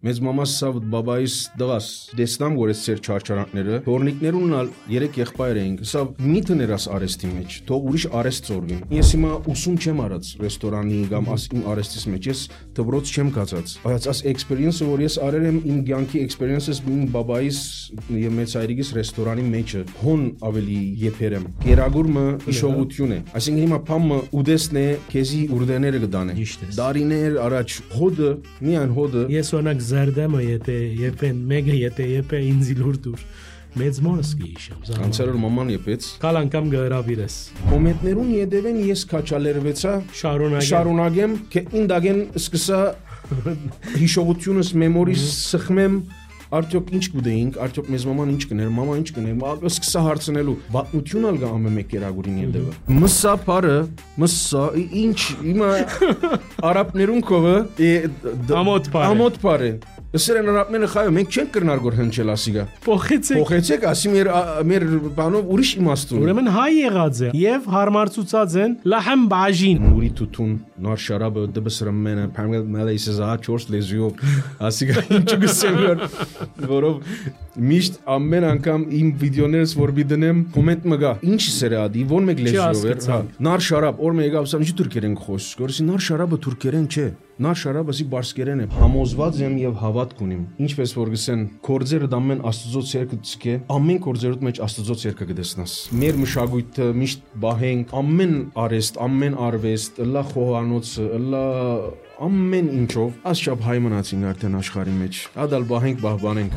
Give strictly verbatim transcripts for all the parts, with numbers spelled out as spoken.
մեծ մամաս սա բաբայիս դղաս դեսնամ գորես ծեր չարչարանքները թորնիկներուն ալ երեք եղբայր էինք սա միթը ներաս արեստի մեջ թող ուրիշ արեստ ծորվին ես հիմա ուսում չեմ արած ռեստորանի կամ իմ արեստիս մեջ ես դբրոց չեմ կացած բայց աս էքսպերիենսը որ ես արել եմ իմ կյանքի էքսպերիենսս իմ բաբայիս եւ մեծ հայրիկիս ռեստորանի մեջը հոն ավելի եփերեմ գերագուրմը իշողություն է այսինքն հիմա փամը ուդեսն է քեզի ուրդեները կդանե դարիներ առաջ հոդը միան հոդը ես օրինակ զարդամը եթե եփեն մեկը եթե եփե ինձ լուր դուր մեծ մորս կհիշեմ անցյալ մաման եփեց կալ անգամ գհրավիրես կոմենտներուն յետևեն ես քաչալերվեցա շարունակեմ շարունակեմ թե ինդագեն սկսա հիշողությունս մեմորիս սխմեմ արդյոք ինչ կուդեինք արդյոք մեզ մաման ինչ կներ մամա ինչ կներ սկսա հարցնելու վատնություն ալ գա ամեն մեկ երագուրին յետևը մսա բարը մսա ինչ հիմա արաբներուն կովը ամոթ բարը ամոթ բարը Սերեն արաբները խայո մենք չենք կրնար գոր հնչել ասիգա փոխեցեք փոխեցեք ասի մեր մեր բանով ուրիշ իմաստուն ուրեմն հայ եղած է եւ հարմարցուցած են լահմ բաժին ուրի տուտուն նոր շարաբը դբսրմենը փամել մալեյսա չորս լեզյով ասիգա ինչ գսեմ որով միշտ ամեն անգամ իմ վիդեոներս որ բիդնեմ կոմենտ մգա ինչ սերադի ո՞ն մեկ լեզյով էր հա նար շարաբ օր մեգա ասամ ինչ թուրքերեն խոս գորսի նար շարաբը թուրքերեն չէ նար շարաբը սի բարսկերեն է համոզված եմ եւ հավատք ունիմ ինչպես որ գսեն կորձերը դամեն աստծո ցերկը ցկե ամեն կորձերուտ մեջ աստծո ցերկը կդեսնաս մեր մշակույթը միշտ բահենք ամեն արեստ ամեն արվեստ լա խոհանոցը լա ամեն ինչով ասչափ հայ մնացին արդեն աշխարհի մեջ ադալ բահենք բահբանենք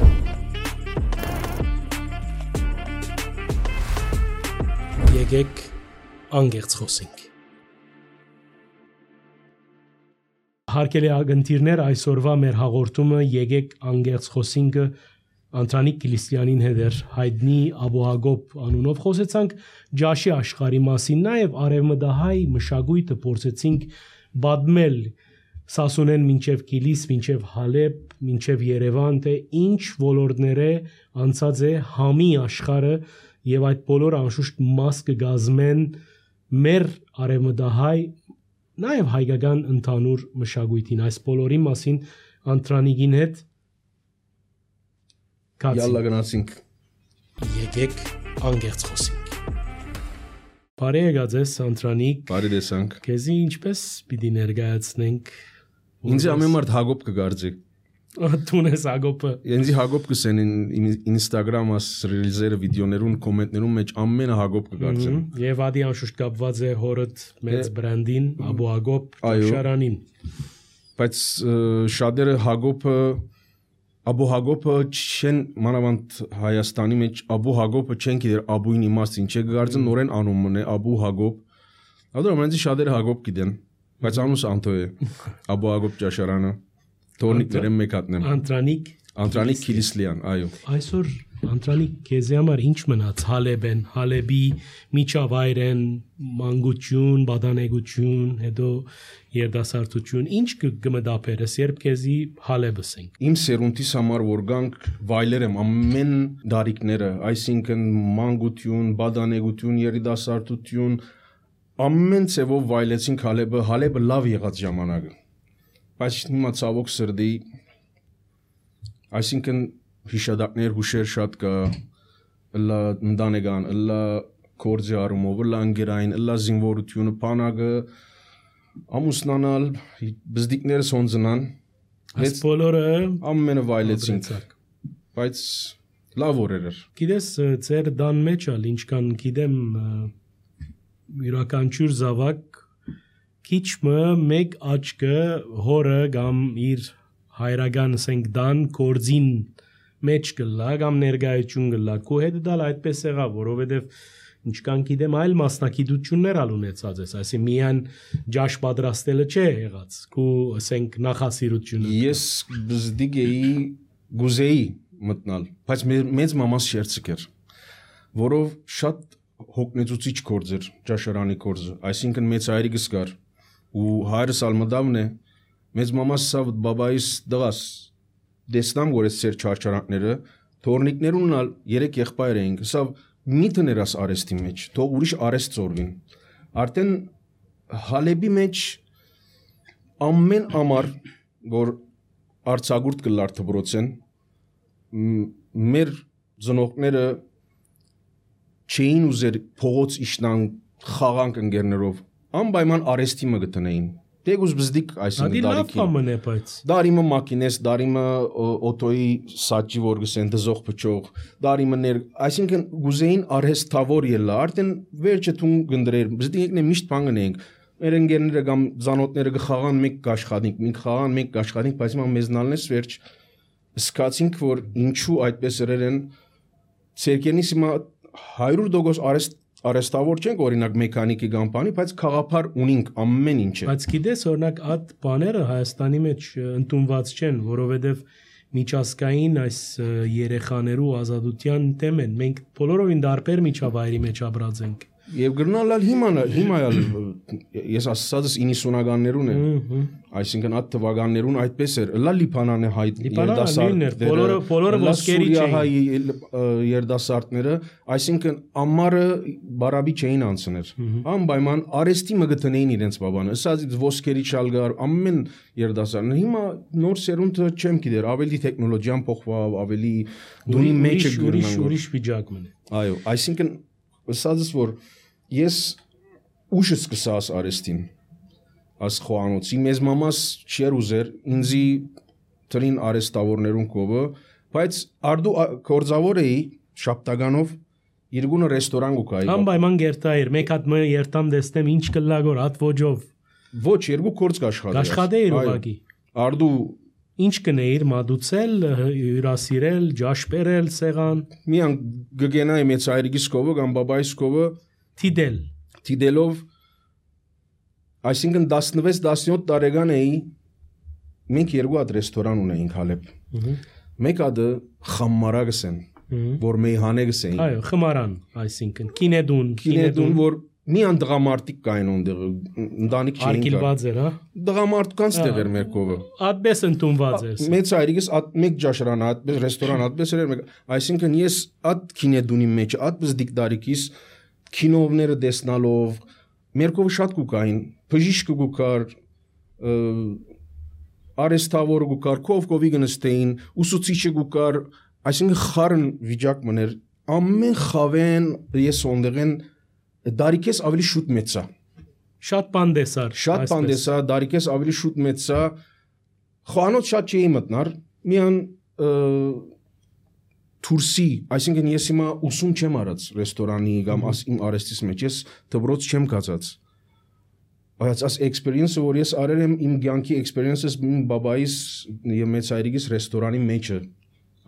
եկեք անգերց խոսենք Հարկելի ագնտիրներ այսօրվա մեր հաղորդումը եկեք անգերց խոսինքը Անտրանիկ Կիլիսյանին հետ էր հայտնի Աբուհագոբ անունով խոսեցանք ջաշի աշխարհի մասին նաև արևմտահայ մշակույթը փորձեցինք բադմել Սասունեն մինչև Կիլիս մինչև Հալեբ մինչև Երևան թե ինչ ոլորտները անցած է համի աշխարհը եւ այդ բոլորը անշուշտ մաս կգազմեն մեր արևմտահայ Նաև հայկական ընդհանուր մշակույթին այս բոլորի մասին Անտրանիկին հետ Յալլա գնացինք Եկեք անգերց խոսենք Բարի եկած ես Անտրանիկ Բարի տեսանք Քեզի ինչպես պիտի ներկայացնենք Ինձ ամեն մարդ Հակոբ կգարձի Դուն ես Հակոբը Ինձ Հակոբ կսեն Instagram աս ռիլզերը վիդեոներուն կոմենտներուն մեջ ամենը Հակոբ կգարձեն Եվ ադի անշուշտ կապված է հորդ մեծ բրանդին Աբուհագոբ շարանին Բայց շատերը Հակոբը Աբուհագոբը չեն մանավանդ Հայաստանի մեջ Աբուհագոբը չեն գիտեր Աբուին իմաստին չէ գարձեն նորեն անունն է Աբուհագոբ Ադոր ամենից շատերը Հակոբ գիտեն բայց անունս Անտո է Աբուհագոբ ճաշարանը Թորնիկները մեկ հատնեմ Անտրանիկ Անտրանիկ Կիլիսլյան այո Այսօր Անտրանիկ քեզի համար ինչ մնաց Հալեբեն Հալեբի միջավայրեն մանկություն բադանեգություն հետո երդասարտություն ինչ կմտապերես երբ քեզի Հալեբս ենք Իմ սերունդիս համար որ գանք վայելեր եմ ամեն դարիքները այսինքն մանկություն բադանեգություն երդասարտություն ամեն ցևով վայելեցինք Հալեբը Հալեբը լավ եղած ժամանակը Բայց հիմա ցավոք սրդի այսինքն հիշադակներ հուշեր շատ կա լա ընդանեգան լա կորձի արումով լա անգերային լա զինվորությունը բանակը ամուսնանալ բզդիկները սոնձնան այս բոլորը ամենը վայելեցինք բայց լավ օրեր էր գիտես ծեր դան մեջ ալ ինչքան գիտեմ յուրաքանչյուր զավակ Քիչմը մեկ աչքը հորը կամ իր հայրական ասենք դան կորձին մեջ գլա կամ ներգայություն գլա քո հետ դալ այդպես եղավ որովհետև ինչքան գիտեմ այլ մասնակցություններ ալ ունեցած ես այսի միան ջաշ պատրաստելը չէ եղած քո ասենք նախասիրությունը ես բզդիկ էի գուզեի մտնալ բայց մեծ մամաս շերցիկ էր որով շատ հոգնեցուցիչ կորձ էր ջաշարանի կորձը այսինքն մեծ հայրիկս կար ու հայրս ալմդավն է մեծ մամաս սա բաբայիս դղաս դեսնամ գորես ծեր չարչարանքները թորնիկներուն ալ երեք եղբայր էինք սա միթը ներաս արեստի մեջ թող ուրիշ արեստ ծորվին արդեն Հալեբի մեջ ամեն ամառ որ արցագուրտ կլար դպրոցեն մեր ծնողները չէին ուզեր փողոց իշնան խաղանք ընկերներով անպայման արեստի մը գտնեին Դեգուս բզդիկ այսինքն դարիքի։ Դարիմը մակինես, դարիմը օտոյի սաճի որ գսեն դզող փչող, դարիմը ներ, այսինքն գուզեին արհեստավոր ելա, արդեն վերջը թուն գնդրեր, բզդիկն է միշտ բան գնենք։ Մեր ընկերները կամ զանոթները գխաղան մեկ գաշխատինք, մենք խաղան մեկ գաշխատինք, բայց մա մեզնալնես վերջ սկացինք որ ինչու այդպես երեն ցերկենից հիմա հարյուր տոկոս արեստ Արեստավոր չենք օրինակ մեխանիկի կամ բանի, բայց խաղապար ունենք ամեն ինչը։ Բայց գիտես, օրինակ այդ բաները Հայաստանի մեջ ընդունված չեն, որովհետև միջազգային այս երեխաներու ազատության թեմ են։ Մենք բոլորովին դարբեր միջավայրի մեջ ապրած ենք։ Եվ գրնալալ հիմա հիմա ես ասածս իննսունականներուն է, այսինքն այդ թվականներուն այդպես էր, լա լիբանանը հայտ երդասարտները, բոլորը բոլորը ոսկերի չէին, երդասարտները, այսինքն ամառը բարաբի չէին անցներ, անպայման արեստի մը գտնեին իրենց բաբանը, ասած ոսկերի շալգար, ամեն երդասարտներ, հիմա նոր սերունդը չեմ գիտեր, ավելի տեխնոլոգիան փոխվավ, ավելի դունի մեջը ուրիշ ուրիշ վիճակ մնա։ Այո, այսինքն ասածս որ ես ուշը սկսած արեստին աս խոանոցի մեզ մամաս չեր ուզեր ինձի տրին արեստավորներուն կովը բայց արդու կորձավոր էի շապտագանով երկունը ռեստորան գուկայի անպայման գերտայր մեկ հատ մը երտամ դեստեմ ինչ կլագոր հատ ոջով ոչ երկու կորձ կաշխատեի կաշխատեի ուղակի արդու ինչ կնեիր մադուցել հյուրասիրել ջաշպերել սեղան միան գգենայի մեծ այրիգիս կովը կամ բաբայիս կովը թիդել թիդելով այսինքն տասնվեց տասնյոթ տարեկան էի մենք երկու հատ ռեստորան ունեինք Հալեբ մեկ հատը խամմարագս են որ մեի հանեգս էին այո խմարան այսինքն կինեդուն կինեդուն որ մի անդղամարտիկ կային ոնդեղ ընտանիք չէին արկիլված էր հա դղամարտկանց տեղեր մեր կովը այդպես ընդունված էր մեծ այրիգս մեկ ջաշրան այդպես ռեստորան այդպես էր այսինքն ես այդ կինեդունի մեջ այդպես դիկտարիկիս կինովները դեսնալով մեր կովը շատ կուկային բժիշկը գուկար արեստավոր գուկար կով կովի գնստեին ուսուցիչը գուկար այսինքն խառն վիճակ մներ ամեն խավեն ես ոնդեղեն դարիքես ավելի շուտ մեծա շատ բան դեսար շատ բան դեսա դարիքես ավելի շուտ մեծա խոանոց շատ չէի մտնար միան թուրսի այսինքն ես հիմա ուսում չեմ արած ռեստորանի կամ իմ արեստիս մեջ ես դպրոց չեմ կացած բայց այս experience-ը որ ես արել եմ իմ կյանքի experience-ս իմ բաբայիս եւ մեծ հայրիկիս ռեստորանի մեջը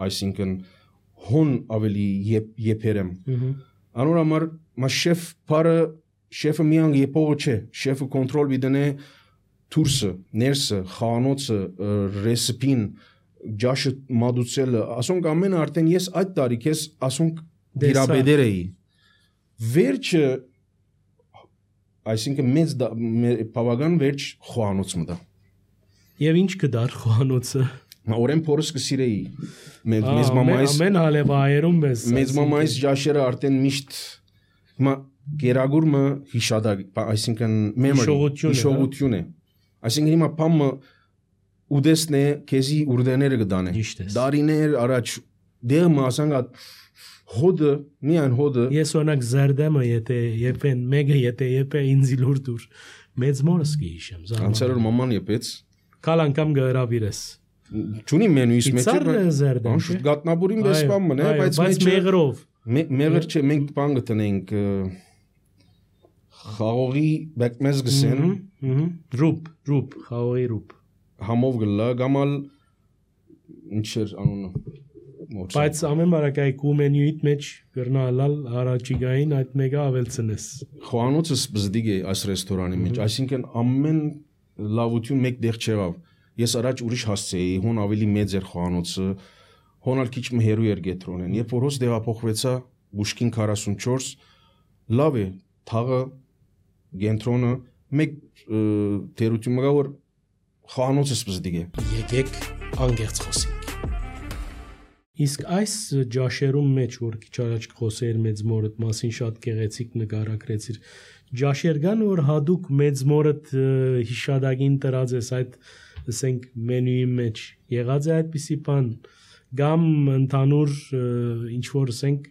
այսինքն հոն ավելի եփերեմ անոր համար մա շեֆ բարը շեֆը միան եփողը չէ շեֆը կոնտրոլ բիդնե թուրսը ներսը խանոցը ռեսիպին ջաշը մադուցելը ասոնք ամենը արդեն ես այդ տարիքես ասոնք դիրաբեդեր էի վերջը այսինքն մեծ բավական վերջ խոանոց մտա եւ ինչ կդար խոանոցը օրեն փորս կսիրեի մեծ մամայիս ամեն հալեվայերում մեզ մեծ մամայիս ջաշերը արդեն միշտ հիմա գերագուրմը հիշադակ այսինքն memory հիշողություն է այսինքն հիմա փամը ուդեսնե քեզի ուրդեները գդանե դարիներ առաջ դերմը ասանգա հոդը միան հոդը ես օրինակ զարդեմը եթե եփեն մեգը եթե եփե ինձ լուրդուր մեծ մորս կհիշեմ զարմա անցերոր մաման եփեց կալ անգամ գարավիրես ճունի մենուիս մեջ է գատնաբուրին բեսպամ մնա բայց բայց մեղրով մեղր չէ մենք բան գտնենք խաղողի բեկմեզ գսեն ռուպ ռուպ խաղողի ռուպ համով գլա գամալ ինչեր անունը բայց ամեն բարակայքի մենյուիտ մեջ գրնալալ հարաճիգային այդ մեգա ավելցնես խոանոցս բզդիգ է այս ռեստորանի մեջ այսինքն ամեն լավություն մեկ դեղ չեղավ ես առաջ ուրիշ հասցեի հոն ավելի մեծ էր խոանոցը հոնալ քիչ մը հերու էր գետրոնեն երբ որ հոս դեղափոխվեցա բուշկին քառասունչորս լավ է թաղը գենտրոնը մեկ թերություն մգա որ խոանոցս բզդիգ է եկեք անգերց խոսենք իսկ այս ջաշերում մեջ որ քիչ առաջ խոսեիր մեծ մորդ մասին շատ գեղեցիկ նկարագրեցիր ջաշեր կան որ հadouk մեծ մորդ հիշադակին տրած ես այդ ասենք մենյուի մեջ եղած է այդպիսի բան կամ ընդհանուր ինչ որ ասենք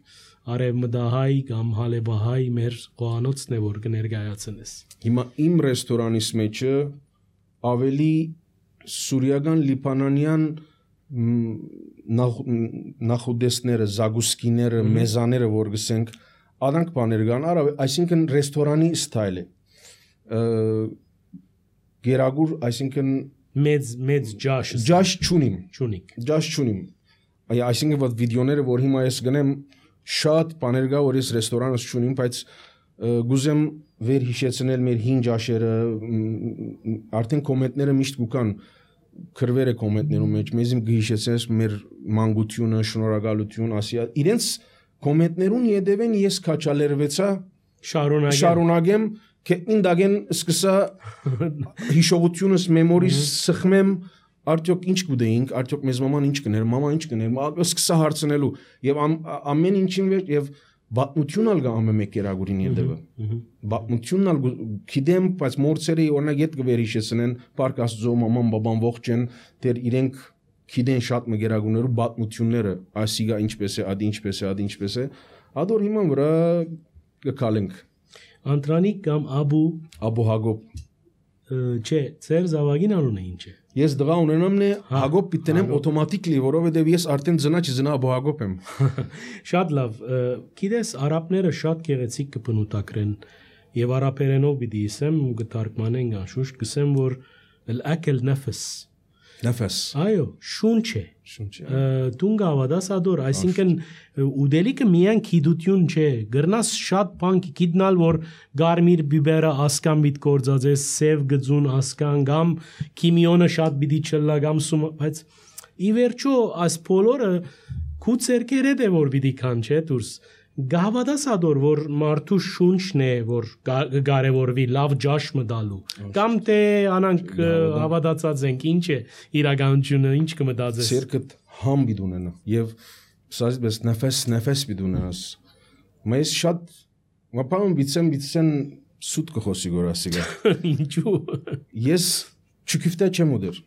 արևմտահայ կամ հալեբահայ մեր խոհանոցն է որ կներկայացնես։ Հիմա իմ ռեստորանիս մեջը ավելի սուրիական լիբանանյան նախուդեսները, զագուսկիները, մեզաները որ գսենք Adank բաներ կան, այսինքն ռեստորանի ստայլ է։ Գերագուր, այսինքն մեծ մեծ ջաշ ջաշ չունիմ, չունիք։ Ջաշ չունիմ։ Այսինքն որ վիդեոները, որ հիմա ես գնեմ, շատ բաներ կա, որ ես ռեստորանս չունիմ, բայց գուզեմ վեր հիշեցնել մեր հին ջաշերը, արդեն կոմենտները միշտ կան, քրվերը կոմենտներում մեջ, մեզ իմ գհիշեցնես մեր մանկությունը, շնորհակալություն, ասիա, իրենց կոմենտներուն յետևեն ես քաչալերվեցա շարունակեմ շարունակեմ կետնին դագեն սկսա հիշողությունս մեմորիս սխմեմ արդյոք ինչ կուդեինք արդյոք մեզ մաման ինչ կներ մամա ինչ կներ սկսա հարցնելու եւ ամեն ինչին վեր եւ բատնությունն ալ գա ամեն մեկ երագուրին յետևը բատնությունն ալ գիտեմ բայց մորցերը օրինակ ետ գվերիշեսնեն պարկ աստծո մաման բաբան ողջ են դեր իրենք Գիտեն շատ մգերագուներու բատնությունները, ասիգա ինչպես է, ադի ինչպես է, ադի ինչպես է, ադոր հիմա վրա կկալենք։ Անտրանիկ կամ Աբու Աբու Հագոբ չէ, ծեր զավագին անունը ինչ է։ Ես դղա ունենամն է Հագոբ պիտենեմ օտոմատիկլի, որովհետև ես արդեն ծնա չծնա Աբու Հագոբ եմ։ Շատ լավ, գիտես արաբները շատ գեղեցիկ կբնութագրեն եւ արաբերենով պիտի ասեմ ու կթարգմանեն անշուշտ, գսեմ որ al-akl nafs Նեֆես։ Այո, շունչ է։ Շունչ է։ Դուն գավադաս ադոր, այսինքն ուդելիքը միայն քիդություն չէ, գրնաս շատ բան գիտնալ որ գարմիր բիբերը ասկան բիտ կորձած է, սև գծուն ասկան կամ քիմիոնը շատ բիդի չլա կամ սում, բայց ի վերջո այս բոլորը քու ցերկերը դե որ բիդի կան չէ դուրս։ Գավադաս ադոր որ մարդու շունչն է որ կարևորվի լավ ջաշ մտալու կամ թե անանք հավատացած ենք ինչ է իրականությունը ինչ կմտածես Սերկդ համ բիդունենա եւ սազբես նեֆես նեֆես բիդունենաս Մեզ շատ մապամ բիցեմ բիցեն սուտ կխոսի գորասիգա Ինչու Ես չկիֆտա չեմ ուդեր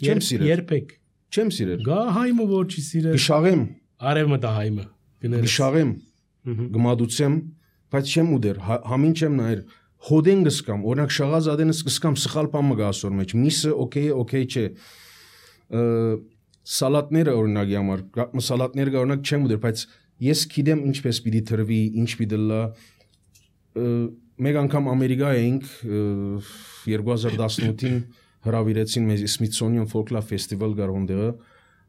Չեմ սիրել Երբեք Չեմ սիրել Գա հայմը որ չի սիրել Գշաղեմ Արևմտա հայմը Գշաղեմ Գմադուցեմ, բայց չեմ ուդեր, համին չեմ նայր, հոդեն գսկամ, օրինակ շաղազ ադենս գսկամ, սխալ պամը գա ասոր մեջ, միսը օքեյ է, օքեյ չէ, սալատները օրինակի համար, սալատները գա օրինակ չեմ ուդեր, բայց ես գիտեմ ինչպես պիտի թրվի, ինչ պիտի լա, մեկ անգամ Ամերիկա էինք, երկու հազար տասնութին հրավիրեցին մեզ Smithsonian Folklore Festival գար հոնդեղը,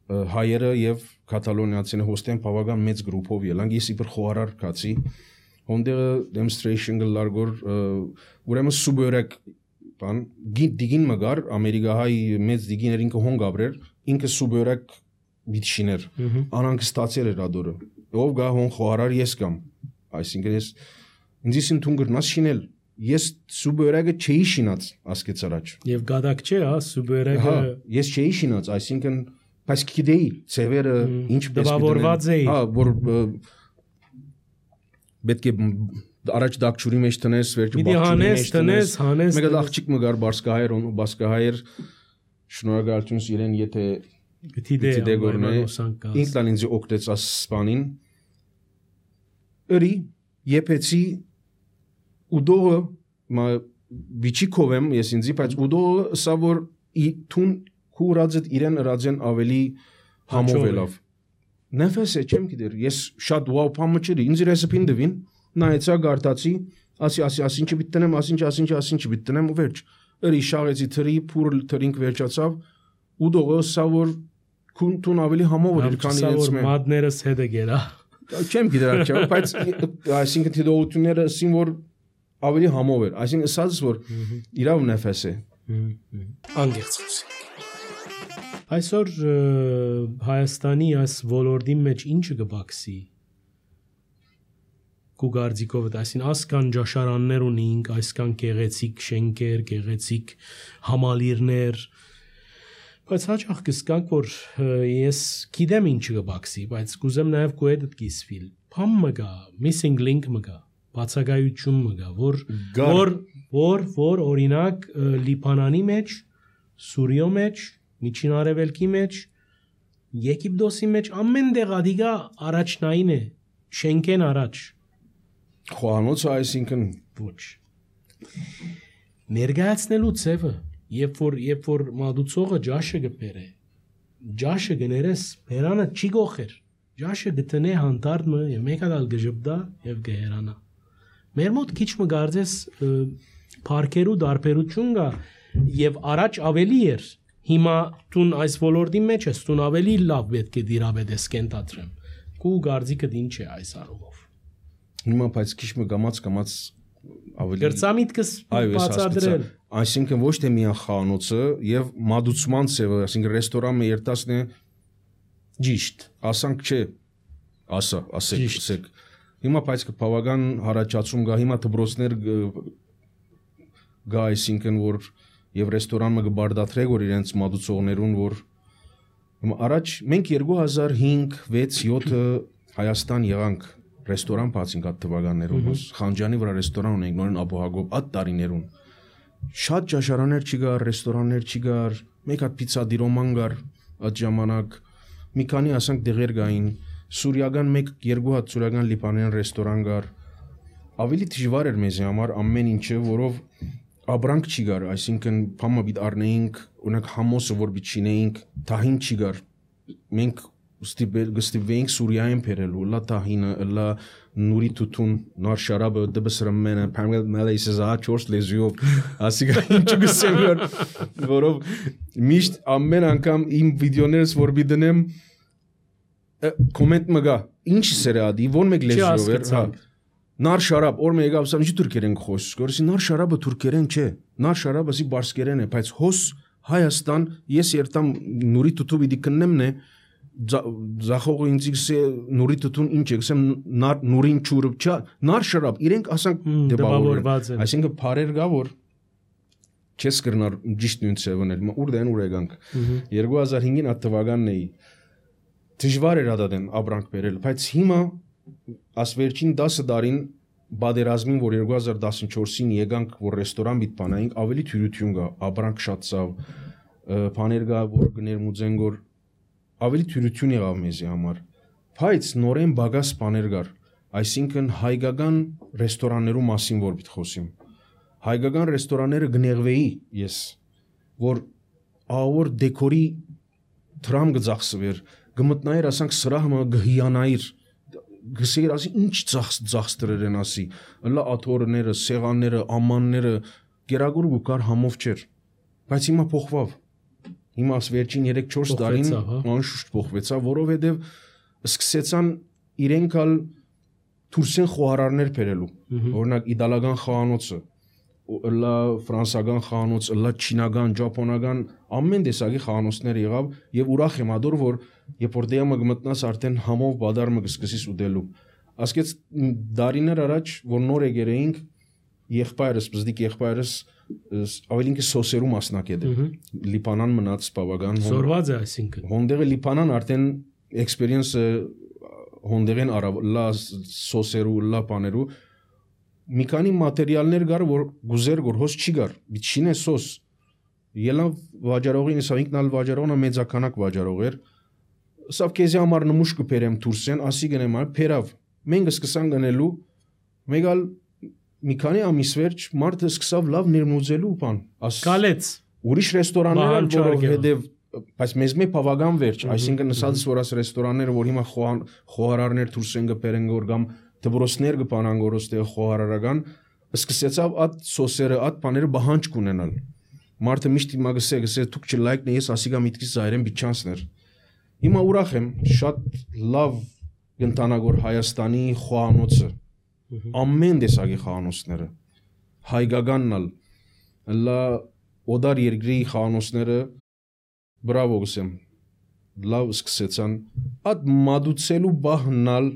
հայերը եւ կատալոնիացիները հոստեն բավական մեծ գրուպով ելանք ես իբր խոհարար կացի հոնդեղը demonstration գլարգոր ուրեմն սուբերակ բան դիգին մգար ամերիկահայ մեծ դիգիներ ինքը հոն գաբրեր ինքը սուբերակ բիթշիներ անանք ստացել էր ադորը ով գա հոն խոհարար ես կամ այսինքն ես ինձ ինքն թուն գրնաս շինել ես սուբերակը չէի շինած ասկեց առաջ եւ գադակ չէ հա սուբերակը ես չէի շինած այսինքն Բայց գիտեի ծևերը ինչպես դպավորված էի հա որ պետք է առաջ դակչուրի մեջ տնես վերջը բախչուրի մեջ տնես հանես մեկ աղջիկ մգար բարսկահայր ու բարսկահայր շնորհակալություն իրեն եթե գիտի գորնե ինքն ինձ օգտեց ասպանին ըրի եփեցի ուդողը մա բիչիկովեմ ես ինձի բայց ուդողը սա որ թուն Քուրածդ իրեն ռաձեն ավելի համովելով Նեֆես է չեմ գիտեր ես շատ վաու փամը չրի ինձ ռեսեպին դվին նայեցա գարտացի ասի ասի ասինչ բիտնեմ ասինչ ասինչ ասինչ բիտնեմ ու վերջ ըրի շաղեցի թրի փուր թրինք վերջացավ ու դողը սա որ քունտուն ավելի համով էր քան իրենց մե մադներս հետը գերա չեմ գիտեր աչա բայց այսինքն դիտողությունները ասին որ ավելի համով էր այսինքն ասած որ իրավ նեֆես է անգերց խոսի Այսօր Հայաստանի այս ոլորտի մեջ ինչը կբացի Կուգարձիկով այսին ասկան ջաշարաններ ունենք, այսքան գեղեցիկ շենքեր, գեղեցիկ համալիրներ, բայց հաճախ կսկանք որ ես գիտեմ ինչը կբացի, բայց կուզեմ նաև քո հետ կիսվիլ։ Փամ մգա, missing link մգա, բացակայություն մգա, որ որ որ որ օրինակ Լիբանանի մեջ Սուրիո մեջ, Միջին Արևելքի մեջ, Եգիպտոսի մեջ ամեն տեղ ադիգա առաջնային է, շենքեն առաջ։ Խոհանոցը այսինքն ոչ։ Ներկայացնելու ցևը, երբ որ երբ որ մատուցողը ջաշը գբերե, ջաշը գներես բերանը չի գողեր։ Ջաշը գտնե հանդարտը եւ մեկ հատ գժբդա եւ գերանա։ Մեր մոտ քիչ մը գարձես парքերու դարբերություն կա եւ առաջ ավելի էր։ Հիմա տուն այս ոլորտի մեջ ես, տուն ավելի լավ պետք է դիրաբեդես կենտատրեմ։ Կու գարձիկը դին չէ այս առումով։ Հիմա բայց քիչ մը գամած գամած ավելի Գրծամիտքս բացադրել։ Այսինքն ոչ թե միան խանոցը եւ մատուցման ծևը, այսինքն ռեստորանը երտասն է ճիշտ, ասանք չէ, ասա, ասեք, ասեք։ Հիմա բայց բավական հարաճացում կա, հիմա դպրոցներ գա, այսինքն որ եւ ռեստորանը կբարդատրեք որ իրենց մատուցողներուն որ հիմա առաջ մենք երկու հազար հինգ վեց յոթ Հայաստան եղանք ռեստորան բացինք այդ թվականներում, Խանջանի վրա ռեստորան ունենք նորեն Աբոհագոբ այդ տարիներուն։ Շատ ճաշարաններ չկար, ռեստորաններ չկար, մեկ հատ պիցա դիրոման կար այդ ժամանակ, մի քանի ասանք դեղեր կային, սուրիական մեկ երկու հատ սուրիական լիբանանյան ռեստորան կար։ Ավելի դժվար էր մեզ համար ամեն ինչը, որով ապրանք չի գար, այսինքն փամը պիտի առնեինք, օրինակ համոսը որ պիտի չինեինք, թահին չի գար։ Մենք գստիվեինք Սուրիայեն բերելու, լա տահինը, լա նուրի թութուն, նոր շարաբը, դբսրմենը, փամել մալեյսը զա չորս լեզուով, ասիկա ինչ գսեմ որ որով միշտ ամեն անգամ իմ վիդեոներս որ բիդնեմ կոմենտ մգա, ինչ սերադի, ո՞ր մեկ լեզուով էր, հա։ Նար շարաբ, օր մեկ եկավ, ինչ թուրքերեն խոսք, որսի նար շարաբը թուրքերեն չէ, նար շարաբը սի բարսկերեն է, բայց հոս Հայաստան, ես երտամ նուրի թութու պիտի կննեմ նե Զախողը ինձ գսե նուրի թթուն ինչ է գսեմ նուրին չուրը չա նար շրապ իրենք ասանք դեպավորված են այսինքն փարեր գա որ չես կրնար ճիշտ նույն ծևն էլ ուր դեն ուր եկանք երկու հազար հինգին այդ թվականն էի դժվար էր ադադեն ապրանք բերել բայց հիմա աս վերջին դասը դարին բادرազմին որ երկու հազար տասնչորսին եկանք որ ռեստորան բիտ բանայինք ավելի թյուրություն կա ապրանք շատ ցավ բաներ կա որ գներմուծեն որ ավելի թյուրություն եղավ մեզի համար, բայց նորեն բագաս բաներ կար, այսինքն հայկական ռեստորաններու մասին որ պիտի խոսիմ, հայկական ռեստորանները գնեղվեի ես, որ ավոր դեկորի թրամ գծախսվեր, գմտնայր ասանք սրահմը գհիանայիր, գսեիր ասի ինչ ծախստրեր են ասի, լա աթորները, սեղանները, ամանները, գերագուր գուկար համով չեր, բայց հիմա փոխվավ Հիմա վերջին երեք չորս տարին անշուշտ փոխվեցավ, որովհետև սկսեցան իրենք ալ թուրքեն խոհարարներ բերելու։ Օրինակ իտալական խոհանոցը, լա ֆրանսական խոհանոց, լա չինական, ճապոնական ամեն տեսակի խոհանոցներ եղավ եւ ուրախ եմ ադոր որ երբ որ դեմը գմտնաս արդեն համով բադարը կսկսես ուտելու։ Ասկեց դարիներ առաջ որ նոր եկերեինք եղբայրս, բզդիկ եղբայրս ավելին կը սոսերու մասնակետ է Լիբանան մնաց բավական Զորված է այսինքն Հոնդեղը Լիբանան արդեն էքսպերիենսը հոնդեղեն արավ լա սոսերու լա բաներու մի քանի մատերիալներ գար որ գուզեր որ հոս չի գար բիչին է սոս ելա վաճառողին սա ինքնալ վաճառողնա մեծականակ վաճառող էր սա քեզի համար նմուշ կբերեմ դուրսեն ասի գնեմ այ փերավ մենք սկսան գնելու մեգալ մի քանի ամիս վերջ մարդը սկսավ լավ ներմուծելու բան ասկալեց ուրիշ ռեստորաններ որով հետև բայց մեզ մի բավական վերջ այսինքն ասածս որ աս ռեստորանները որ հիմա խոհարարներ դուրս են գբերեն որ կամ դպրոցներ կպանան գորոստե խոհարարական սկսեցավ այդ սոսերը այդ բաները բահանջ կունենալ մարդը միշտ հիմա գսե գսե դուք չլայքն ես ասիգա միտքից զայրեն բիչանսներ հիմա ուրախ եմ շատ լավ գնտանագոր Հայաստանի խոհանոցը ամեն տեսակի խոհանոցները հայկականնալ լա օդար երկրի խոհանոցները բրավո գսեմ լավ սկսեցան այդ մադուցելու բահնալ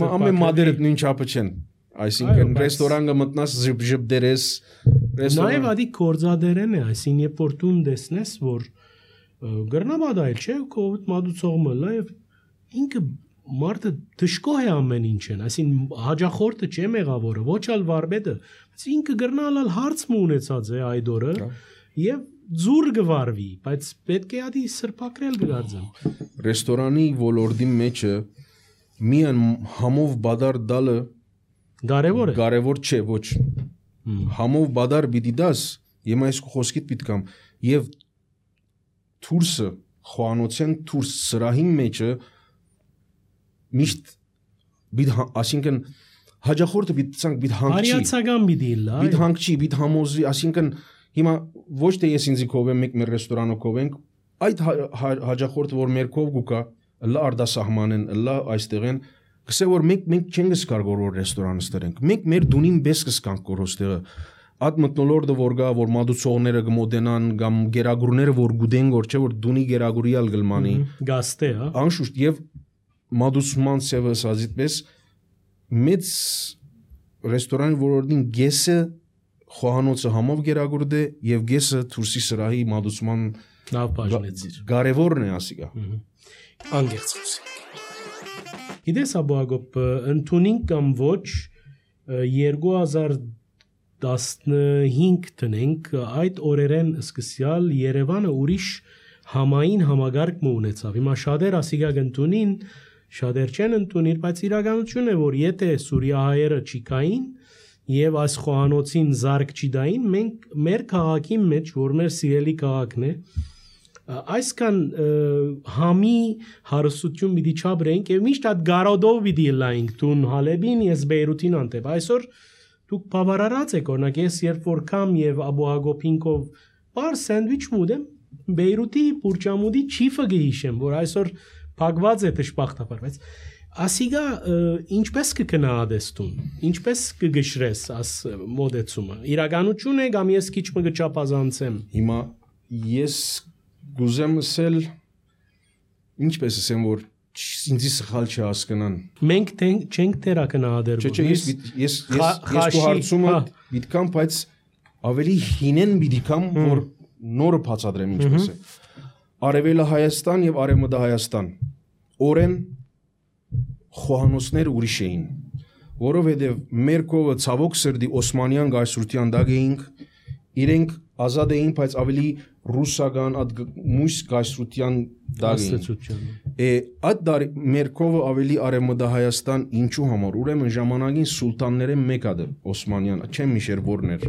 ամեն մադերը նույն չափը չեն այսինքն ռեստորանը մտնաս ժբժբդերես նաև ադի կորձադերեն է այսին երբ որ տուն տեսնես որ գրնաբադայել չէ կովիդ մադուցողը լավ ինքը մարդը դժկոհ է ամեն ինչեն, այսին հաջախորդը չէ մեղավորը, ոչ ալ վարպետը, բայց ինքը գրնալալ հարց մը ունեցած է այդ օրը եւ ձուր գվարվի, բայց պետք է ադի սրբակրել գարձեմ։ Ռեստորանի ոլորտի մեջը միան համով բադար դալը Կարևոր է։ Կարևոր չէ, ոչ։ Համով բադար պիտի դաս, եմ այս խոսքիդ պիտքամ եւ թուրսը խոանոցեն թուրս սրահի մեջը միշտ բիդ ասինքն հաջախորդը բիդ ցանկ բիդ հանգչի Արիացական բիդի լա բիդ հանգչի բիդ համոզի ասինքն հիմա ոչ թե ես ինձի կով եմ մեկ մեր ռեստորանով կով ենք այդ հաջախորդը որ մեր կով գուկա լա արդասահմանեն լա այստեղեն գսե որ մենք մենք չենք սկար գորոր ռեստորանը ստերենք մենք մեր դունին բես կսկանք գորոստեղը Այդ մտնոլորդը որ գա որ մադուցողները գմոդենան կամ գերագուրները որ գուդեն գոր չէ որ դունի գերագուրիալ գլմանի գաստե հա անշուշտ եւ մադուսման սևը սազիտպես մեծ ռեստորանի որորդին գեսը խոհանոցը համով գերագուրդ է եւ գեսը թուրսի սրահի մադուսման լավ բաժնեցիր կարևորն է ասիկա անգերց խոսենք Գիտես Աբուագոպ ընդունին կամ ոչ երկու հազար տասնհինգ տնենք այդ օրերեն սկսյալ Երևանը ուրիշ համային համագարկ ունեցավ։ Հիմա շատեր ասիգա գտնունին, շատեր չեն ընդունիր, բայց իրականություն է որ եթե սուրիահայերը չիկային եւ այս խոհանոցին զարգ չդային, մենք մեր քաղաքի մեջ, որ մեր սիրելի քաղաքն է, այսքան համի հարստություն պիտի չաբրենք եւ միշտ այդ գարոդով պիտի լայինք տուն Հալեբին ես Բեյրութին անտեպ այսօր դուք բավարարած եք օրինակ ես երբ որ կամ եւ Աբուագոպինկով բար սենդվիչ մուդեմ Բեյրութի բուրճամուդի չիֆը գհիշեմ որ այսօր փակված է դժբախտաբար բայց ասիգա ինչպես կգնահատեստուն ինչպես կգշրես աս մոդեցումը իրականություն է կամ ես քիչ մը գճապազանցեմ հիմա ես գուզեմ ասել ինչպես ասեմ որ ինձի սխալ չհասկանան մենք չենք տերակնահատել չէ ես ես ես ես հարցումը դիտքամ բայց ավելի հինեն դիտքամ որ նորը բացադրեմ ինչպես է Արևելը Հայաստան եւ Արևմուտք Հայաստան օրեն խոհանոցներ ուրիշ էին որովհետեւ մեր կողը ցավոք սրդի Օսմանյան գայսրության դակ էինք իրենք ազատ էին բայց ավելի ռուսական այդ մույս գայսրության դակ էին է այդ դարի մեր կողը ավելի Արևմուտք Հայաստան ինչու համար ուրեմն ժամանակին սուլտանները մեկը Օսմանյան չեմ միշեր որներ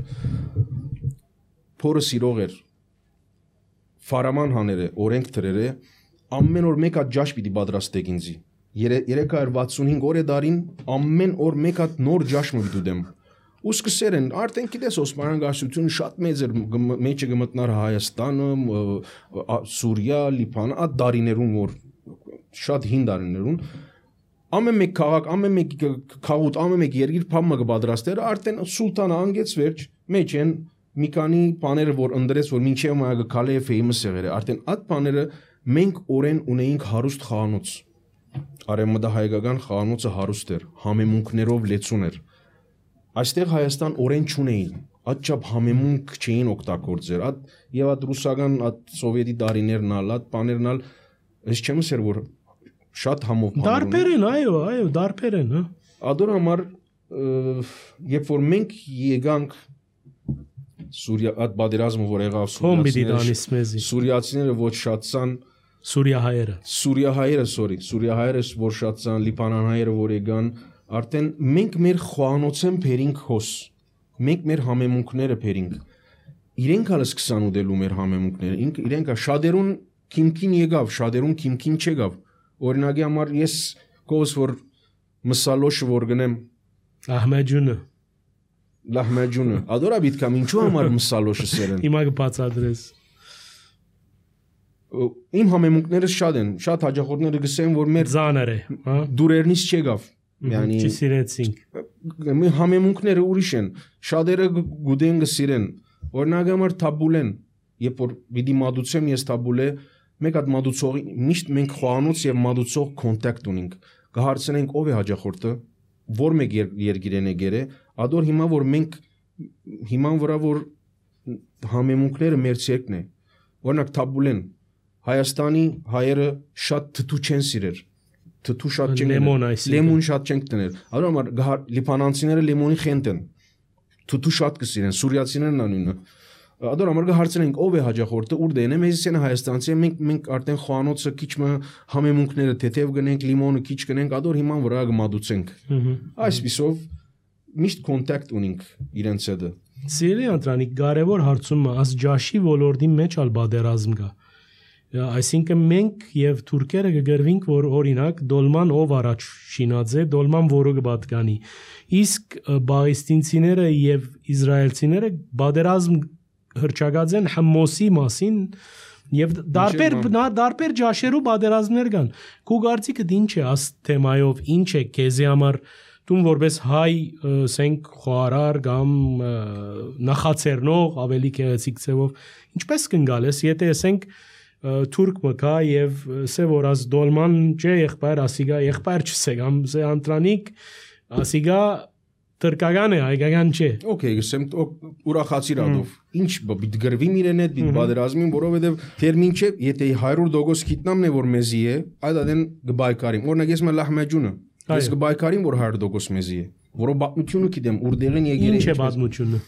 փորը սիրող էր Ֆարաման հաները, օրենք թրերը, ամեն օր մեկ հատ ջաշ պիտի պատրաստեք ինձի։ երեք հարյուր վաթսունհինգ օր է դարին, ամեն օր մեկ հատ նոր ջաշ մը դուդեմ։ Ու սկսեր են, արդեն գիտես Օսմանյան գայսրությունը շատ մեծ էր, մեջը գմտնար Հայաստանը, Սուրիա, Լիբանան, այդ դարիներուն որ շատ հին դարիներուն ամեն մեկ քաղաք, ամեն մեկ քաղուտ, ամեն մեկ երկիր փամը կպատրաստեր, արդեն սուլտանը անգեց վերջ, մեջ են մի քանի բաները որ ընդրեց որ մինչև մայը գալի է famous եղել է արդեն այդ բաները մենք օրեն ունեինք հարուստ խանութ Արևմուտք հայկական խանութը հարուստ էր համեմունքներով լեցուն էր այստեղ Հայաստան օրեն չունեին այդ չափ համեմունք չէին օգտագործեր այդ եւ այդ ռուսական այդ սովետի դարիներն ալ այդ բաներն ալ ես չեմ ասեր որ շատ համով դարբեր են այո այո դարբեր են հա ադոր համար երբ որ մենք եկանք Սուրիա այդ բادرազմը որ եղավ սուրիացիները սուրիացիները ոչ շատցան սուրիահայերը սուրիահայերը sorry սուրիահայերը որ շատցան լիբանանհայերը որ եկան արդեն մենք մեր խոհանոցեն փերինք հոս մենք մեր համեմունքները փերինք իրենք հալը սկսան ուդելու մեր համեմունքները իրենք շադերուն քիմքին եկավ շադերուն քիմքին չեկավ օրինակի համար ես կոս որ մսալոշը որ գնեմ Ահմեջունը Լահմեջունը ադորա բիտկամ ինչու համար մսալոշը սերեն Հիմա կբացատրես Իմ համեմունքները շատ են շատ հաջախորդները գսեն որ մեր զաներ է հա դուրերնից չեկավ yani չսիրեցինք մեր համեմունքները ուրիշ են շատերը գուդեն գսիրեն օրինակ համար թաբուլեն երբ որ պիտի մադուցեմ ես թաբուլե մեկ հատ մադուցողի միշտ մենք խոհանոց եւ մադուցող կոնտակտ ունենք կհարցնենք ով է հաջախորդը որ մեկ երկիրեն է գերե ադոր հիմա որ մենք հիման վրա որ համեմունքները մեր ցերկն է օրինակ թաբուլեն Հայաստանի հայերը շատ թթու չեն սիրեր թթու շատ չեն լեմոն լեմոն շատ չեն տներ ադոր համար լիբանանցիները լեմոնի խենտ են թթու շատ կսիրեն սուրիացիներն անունը Ադոր համար կհարցնենք ով է հաջախորդը, ուր դեն է, մեզիսենը հայաստանցի է, մենք մենք արդեն խոհանոցը քիչ մը համեմունքները թեթև գնենք, լիմոնը քիչ գնենք, ադոր հիման վրա կմադուցենք։ Այսպիսով միշտ կոնտակտ ունենք իրենց հետ։ Սիրելի ընտրանիկ, կարևոր հարցումը աս ջաշի ոլորտի մեջ ալ բادرազմ կա։ Այսինքն մենք եւ թուրքերը կգրվինք, որ օրինակ դոլման ով առաջ շինած է, դոլման որը կպատկանի։ Իսկ բաղեստինցիները եւ իսրայելցիները բادرազմ հրճագած են Հմոսի մասին եւ դարբեր դարբեր ջաշերու բادرազմներ կան։ Քու գարցիկը ինչ է աս թեմայով, ինչ է քեզի համար դու որպես հայ սենք խոհարար կամ նախացերնող ավելի գեղեցիկ ձևով ինչպես կնգալես, եթե ասենք թուրք մկա եւ սե որ աս դոլման չէ եղբայր ասիգա եղբայր չսե կամ սե անտրանիկ ասիգա Թրկական է, հայկական չէ։ Okay, գսեմ ուրախացիր ադով։ Ինչ բիտ գրվիմ իրեն հետ, բիտ բادرազմին, որովհետև թերմին չէ, եթե հարյուր տոկոս գիտնամն է որ մեզի է, այդ ադեն գբայկարիմ։ Օրինակ ես մը լահմեջունը, ես գբայկարիմ որ հարյուր տոկոս մեզի է, որով պատմությունը գիտեմ, ուրդեղեն եկել է։ Ինչ է պատմությունը։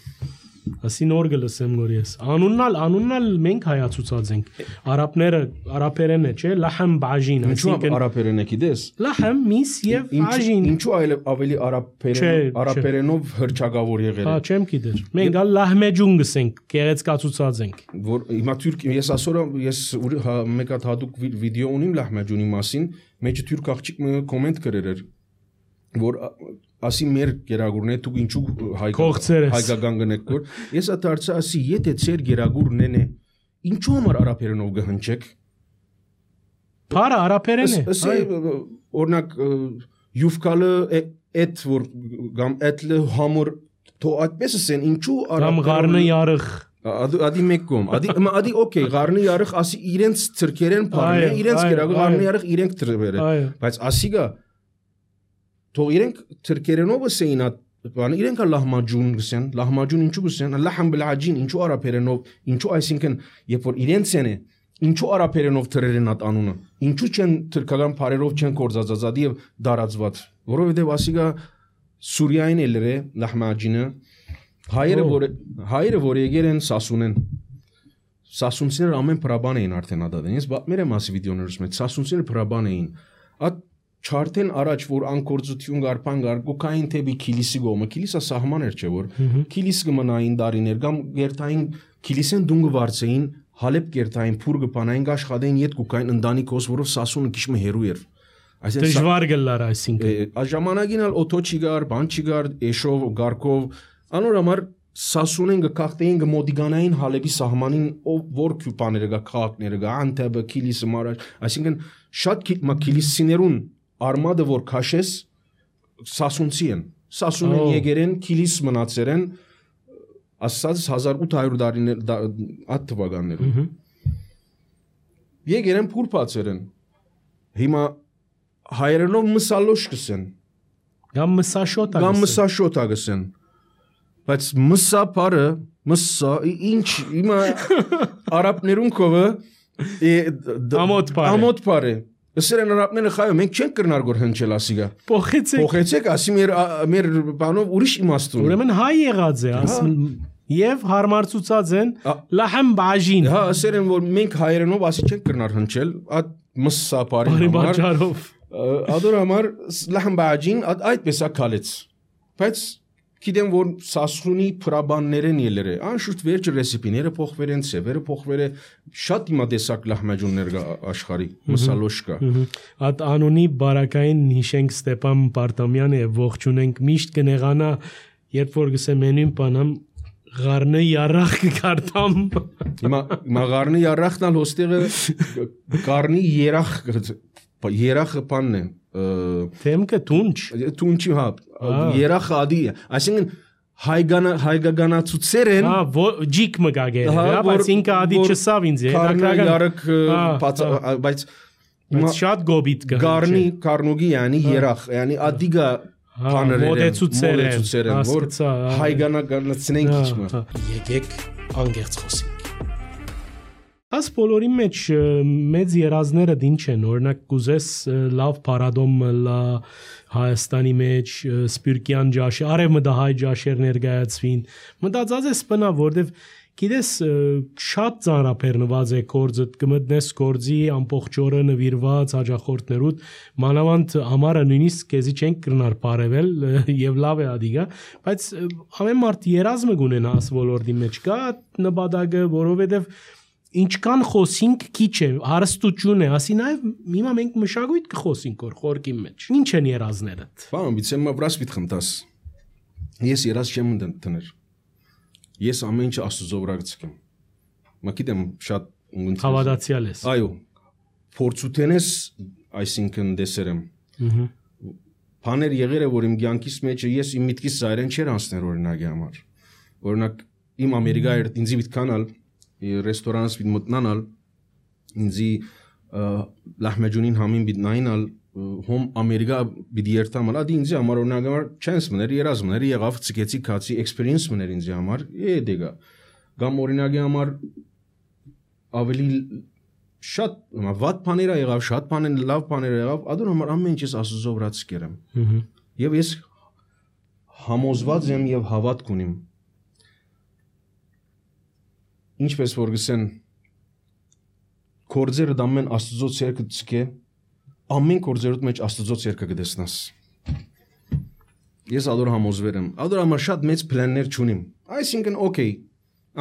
Ասին օր գլսեմ որ ես։ Անուննալ, անուննալ մենք հայացուցած ենք։ Արաբները, արաբերեն է, չէ, լահմ բաժին, այսինքն արաբերեն է գիտես։ Լահմ միս եւ բաժին։ Ինչու այլ ավելի արաբերեն, արաբերենով հրճագավոր եղել է։ Հա, չեմ գիտեր։ Մենք ալ լահմեջուն գսենք, գեղեցկացուցած ենք։ Որ հիմա թուրք ես ասորա ես մեկ հատ հատուկ վիդեո ունիմ լահմեջունի մասին, մեջը թուրք աղջիկ կոմենտ գրեր էր, որ ասի մեր գերագուրն է դուք ինչու հայկական գնեք որ ես ադարձա ասի եթե ծեր գերագուրն է ինչու համար արաբերենով գհնչեք Փարը արաբերեն է ասի օրինակ յուֆկալը էդ որ կամ էդլը համոր թո այդպես ասեն ինչու արաբերեն կամ ղարնը ярıq ադի մեկ կոմ ադի ադի օքեյ ղարնը ярıq ասի իրենց թրքերեն փարն է իրենց գերագուրը ղարնը ярıq իրենք թրվերը բայց ասիգա Թող իրենք թրքերենով ասեին բան իրենք լահմաջուն գսեն լահմաջուն ինչու գսեն լահմ բլաջին ինչու արաբերենով ինչու այսինքն երբ որ իրենց են ինչու արաբերենով թրերեն ատ անունը ինչու չեն թրքական բարերով չեն կորզածածադի եւ դարածված որովհետեւ ասիգա Սուրիային էլեր է լահմաջինը հայերը որ հայերը որ եկել են Սասունեն Սասունցիները ամեն պրաբան էին արդեն ադադեն ես մեր մասի վիդեոներս մեջ Սասունցիները պրաբան էին at Չարթեն առաջ որ անկորձություն գարփան գար գոքային թեբի քիլիսի գոմը քիլիսա սահմաներ չէ որ քիլիս կմնային դարիներ կամ գերտային քիլիսեն դունգը վարձեին հալեբ գերտային փուր գպանային աշխատեին իդ գոքային ընդանիքոս որով Սասունը քիչ մը հերու էր այսինքն դժվար գլար այսինքն այս ժամանակին ալ օթո չի գար բան չի գար էշով գարկով անոր համար Սասունեն գկախտեին գմոդիգանային հալեբի սահմանին որ քյուպաները գա քաղաքները գա անտեբը քիլիսը մարաշ այսինքն շատ քիլիսիներուն Արմադը որ քաշես Սասունցի են Սասունեն եկերեն քիլիս մնացերեն ասած հազար ութ հարյուր դարիներ այդ թվականներում եկերեն փուրփացերեն հիմա հայերենով մսալոշ կսեն կամ մսաշոտ կամ մսաշոտ ագսեն բայց մսա բարը մսա ինչ հիմա արաբներուն կովը ամոթ բարը ամոթ բարը Սերեն արաբները խայում մենք չենք կրնար գոր հնչել ասիգա փոխեցեք փոխեցեք ասի մեր մեր բանով ուրիշ իմաստ ունի ուրեմն հայ եղած է ասում եւ հարմարցուցած են լահմ բաժին հա սերեն որ մենք հայերենով ասի չենք կրնար հնչել այդ մսսա բարի համար ադոր համար լահմ բաժին այդպես է քալեց բայց Գիտեմ որ Սասունի պրաբաններեն ելեր է անշուշտ վերջ ռեսիպիները փոխվել են սևերը փոխվել է շատ իմադեսակ լահմեջուններ կա աշխարհի մսալոշ կա Այդ անունի բարակային հիշենք Ստեփան Պարտամյանը եւ ողջունենք միշտ կնեղանա երբ որ գսեմ մենին բանամ ղարնը ярախ կարտամ Հիմա հիմա ղարնը ярախն ալ հոստեղը ղարնի երախ երախը բանն է Թեմքը տունչ տունչի հա երախ ադի այսինքն հայգանա հայգականացուցեր են հա ջիկ մգագեր հա բայց ինքը ադի չսավ ինձ հետաքրքրական ярակ բայց շատ գոբիտ կա գարնի կարնուգի yani երախ yani ադիգա բաներեն մոդեցուցեր են որ հայգանականացնենք իջմը եկեք անգերց խոսենք Աս բոլորի մեջ մեծ երազները ինչ են օրինակ կուզես լավ պարադոմ լա Հայաստանի մեջ սպիրկյան ջաշ արև մտահայ ջաշեր ներկայացվին մտածած ես բնա որտեվ գիտես շատ ծանրաբեռնված է գործը կմտնես գործի ամբողջ օրը նվիրված հաջախորդներուդ մանավանդ համարը նույնիսկ քեզի չենք կրնար բարևել եւ լավ է ադիգա բայց ամեն մարդ երազը կունենա աս ոլորտի մեջ կա նպատակը որովհետեւ ինչքան խոսինք քիչ է հարստություն է ասի նաեւ հիմա մենք մշակույթ կխոսինք որ խորքի մեջ ինչ են երազները բան բիցեմ մավրաս պիտ խմտաս ես երազ չեմ դնել ես ամեն ինչ աստծո վրա գցեմ մա գիտեմ շատ հավատացյալ ես այո փորձութենես այսինքն դեսերեմ բաներ եղել է որ իմ կյանքիս մեջ ես իմ միտքից ծայրեն չեր անցներ օրինակի համար օրինակ իմ ամերիկա էր ինձ միտքանալ ռեստորանս պիտ մտնանալ ինձի լահմեջունին համին պիտ նայնալ հոմ ամերիկա պիտ երթամալ ադի ինձի համար օրինակ համար չանս մներ երազ մներ եղավ ցկեցի քացի էքսպերիենս մներ ինձի համար է դեգա կամ օրինակի համար ավելի շատ վատ բաներ եղավ շատ բաներ լավ բաներ եղավ ադոր համար ամեն ինչ ես աստծո վրա ցկերեմ եւ ես համոզված եմ եւ հավատք ունիմ ինչպես որ գսեն կորձերը դամեն աստծո ցերկը ցկե ամեն կորձերուդ մեջ աստծո ցերկը կդեսնաս ես ադոր համոզվեր եմ ադոր համար շատ մեծ պլաններ չունիմ այսինքն օքեյ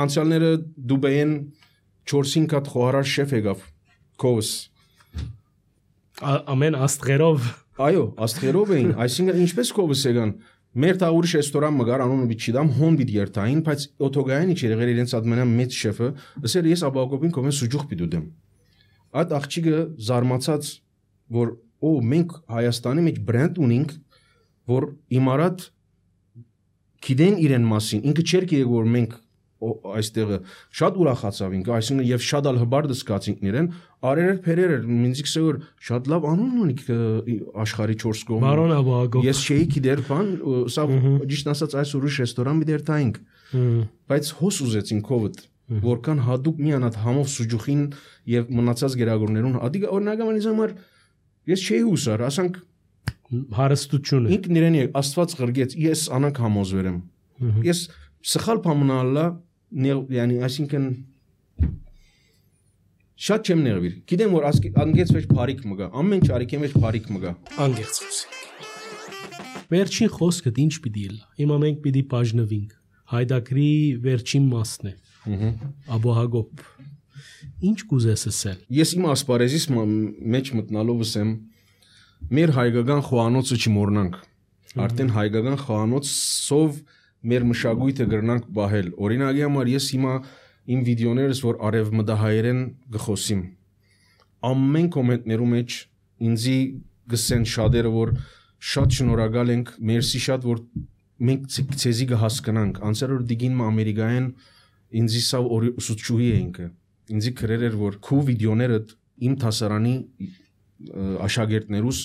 անցյալները դուբայեն չորս-հինգ հատ խոհարար շեֆ եկավ կովս ամեն աստղերով այո աստղերով էին այսինքն ինչպես կովս եկան մեր տա ուրիշ ռեստորան մգար անունը բիչիդամ հոն բիդ երթային բայց օթոգային իչ եղեր իրենց ադմենա մեծ շեֆը ասեր ես աբակոբին կոմեն սուջուխ պիտուդեմ այդ աղջիկը զարմացած որ օ մենք Հայաստանի մեջ բրենդ ունենք որ իմարատ գիտեն իրեն մասին ինքը չէր գիտի որ մենք այստեղը շատ ուրախացավ ինքը այսինքն եւ շատ ալ հբար դսկացինք իրեն արերեր փերեր ինձ գսե որ շատ լավ անուն ունի աշխարհի չորս կողմում Բարոն Աբագով ես չէի գիտեր բան սա ճիշտ ասած այս ուրիշ ռեստորան մի դերտայինք բայց հոս ուզեցին կովդ որքան հadoop միանալ համով սուջուխին եւ մնացած գերագորներուն ադի օրինակական ինձ համար ես չէի հուսար ասանք հարստությունը ինքն իրեն աստված գրգեց ես անակ համոզվեր եմ ես սխալ բանալա yani այսինքն շատ չեմ ներվիր գիտեմ որ անգեց մեջ բարիք մգա ամեն ճարիքի մեջ բարիք մգա անգերց խոսենք վերջին խոսքը ինչ պիտի լա հիմա մենք պիտի բաժնվենք հայդակրի վերջին մասն է աբոհագոպ ինչ կուզես ասել ես իմ ասպարեզիս մեջ մտնալով ասեմ մեր հայկական խոհանոցը չմոռնանք արդեն հայկական խոհանոցով մեր մշակույթը գրնանք բահել օրինակի համար ես հիմա իմ վիդեոներս որ արևմտահայերեն գխոսիմ ամեն կոմենտներու մեջ ինձի գսեն շատերը որ շատ շնորհակալ ենք մերսի շատ որ մենք ցեզի կհասկանանք անցյալ օր դիգին ամերիկայեն ինձի սա ուսուցչուհի էինք ինձի գրեր էր որ քու վիդեոներդ իմ դասարանի աշակերտներուս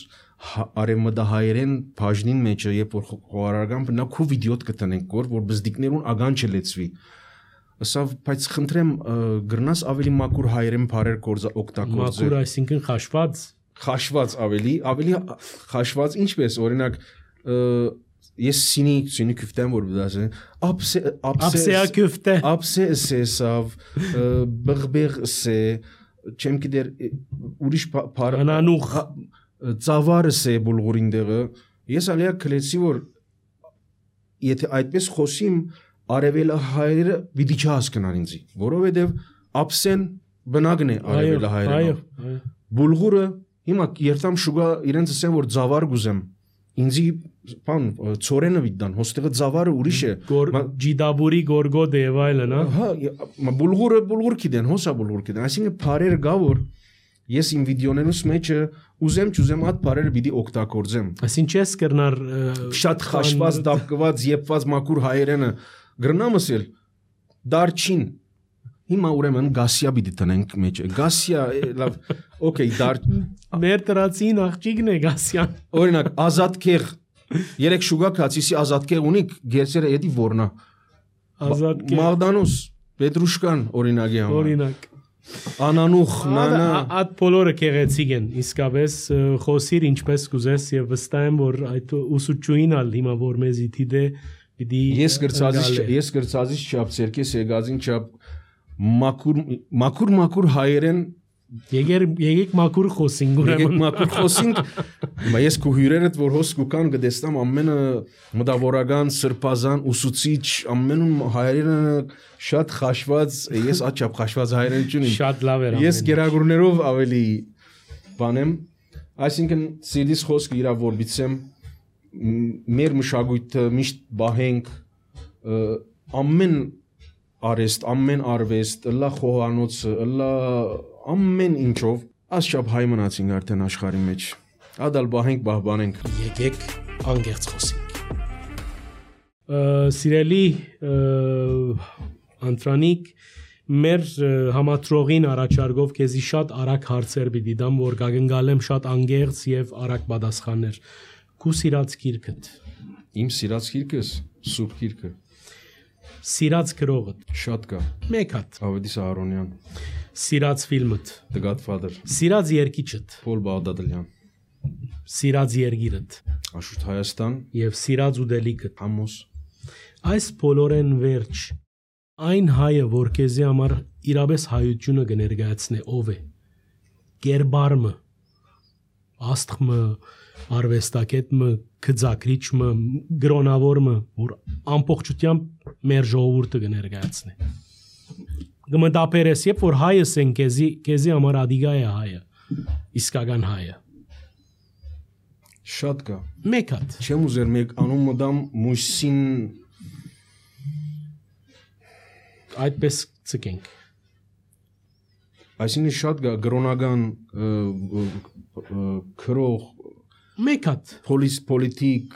արևմտահայերեն բաժնին մեջը երբ որ խոհարարական բնա քու վիդեոտ կտնենք որ որ բզդիկներուն ագան չլեցվի ասա բայց խնդրեմ գրնաս ավելի մակուր հայերեն բարեր կորզա օգտագործել մակուր այսինքն խաշված խաշված ավելի ավելի խաշված ինչպես օրինակ ես սինի սինի küftեմ որ դասը ապսե ապսեա küfte ապսե սեսավ բղբեղ սե չեմ գիտեր ուրիշ անանուխ ծավարը սե բուլղուրին դեղը ես ալիա քլեցի որ եթե այդպես խոսիմ արևելը հայերը պիտի չհասկանան ինձի որովհետև ապսեն բնագն է արևելը հայերենով բուլղուրը հիմա երթամ շուգա իրենց ասեն որ ծավար գուզեմ ինձի բան ծորենը վիդան հոստեղը ծավարը ուրիշ է ջիդաբուրի գորգոդե եւ այլն հա բուլղուրը բուլղուր կիդեն հոսա բուլղուր կիդեն այսինքն բարեր գա որ ես իմ վիդեոներուս մեջը ուզեմ չուզեմ այդ բարերը պիտի օգտագործեմ այսինքն չես կրնար շատ խաշված դապկված եփված մակուր հայերենը գրնամ ասել դարչին հիմա ուրեմն գասիա պիտի տնենք մեջը գասիա լավ օքեյ դար մեր տրացին աղջիկն է գասիան օրինակ ազատ քեղ երեք շուգա քացիսի ազատ քեղ ունիք գերսերը էդի որնա ազատ քեղ մաղդանոս պետրուշկան օրինակի համար օրինակ անանուխ նանա այդ բոլորը քեղեցիկ են իսկապես խոսիր ինչպես կուզես եւ վստահ եմ որ այդ ուսուցչուհին ալ հիմա որ մեզի դիտե պիտի Ես գրծածից ես գրծածից չափ ցերկես եկածին չափ մակուր մակուր մակուր հայերեն Եկեր եկեք մակուր խոսենք ուրեմն եկեք մակուր խոսենք բայց քո հյուրերդ որ հոս կան գտեստամ ամենը մտավորական սրբազան ուսուցիչ ամենում հայերենը շատ խաշված ես աչափ խաշված հայերեն չունիմ շատ լավ էր ես գերագուրներով ավելի բանեմ այսինքն սիրտիս խոսքը իրա որ բիցեմ մեր մշակույթը միշտ բահենք ամեն արեստ ամեն արվեստ լա խոհանոցը լա ամեն ինչով ասչափ հայ մնացինք արդեն աշխարհի մեջ ադալ բահենք բահբանենք եկեք անգերց խոսենք սիրելի Անտրանիկ մեր համատրողին առաջարկով քեզի շատ արագ հարցեր պիտի դամ որ գագնգալեմ շատ անգերց եւ արագ պատասխաններ քու սիրած գիրքդ իմ սիրած գիրքս սուրբ գիրքը սիրած գրողը շատ կա մեկ հատ Ավետիս Ահարոնյան սիրած ֆիլմդ The Godfather սիրած երգիչդ Փոլ Բաղդադելյան սիրած երգիրդ Աշուտ Հայաստան եւ սիրած ուդելիքդ Համոս այս բոլորեն վերջ այն հայը որ քեզի համար իրապես հայությունը կներկայացնե ով է Գերբարմը աստղմը արվեստակետը քծակրիչը գրոնավորը որ ամբողջությամբ մեր ժողովուրդը կներկայացնի գմտապերես երբ որ հայս են քեզի քեզի համար ադիգա է հայը իսկական հայը շատ կա մեկ հատ չեմ ուզեր մեկ անունը դամ Մույսին այդպես ցկենք այսինքն շատ կա գրոնական քրող մեկ հատ պոլիս պոլիտիկ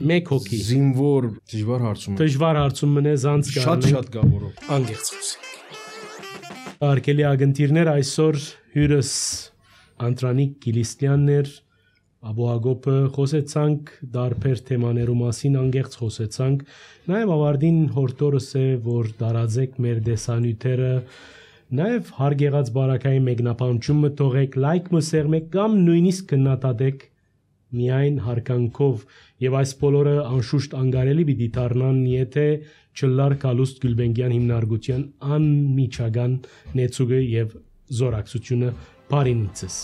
մեկ հոգի զինվոր դժվար հարցում է դժվար հարցում մնե զանց կա շատ շատ կա որով անգերց խոսենք արկելի ագնտիրներ այսօր հյուրս Անտրանիկ Կիլիստյանն էր Աբոհագոպը խոսեցանք դարբեր թեմաներու մասին անգերց խոսեցանք նաև ավարտին հորտորս է որ դարաձեք մեր դեսանյութերը Նաև հարկ եղած բարակայի մեկնաբանությունը թողեք, լայք մսերմեք կամ նույնիսկ քննադատեք միայն հարկանքով եւ այս բոլորը անշուշտ անգարելի պիտի դառնան, եթե չլար Կալուստ Գյուլբենգյան հիմնարկության անմիջական նեցուգը եւ զորակցությունը բարինիցս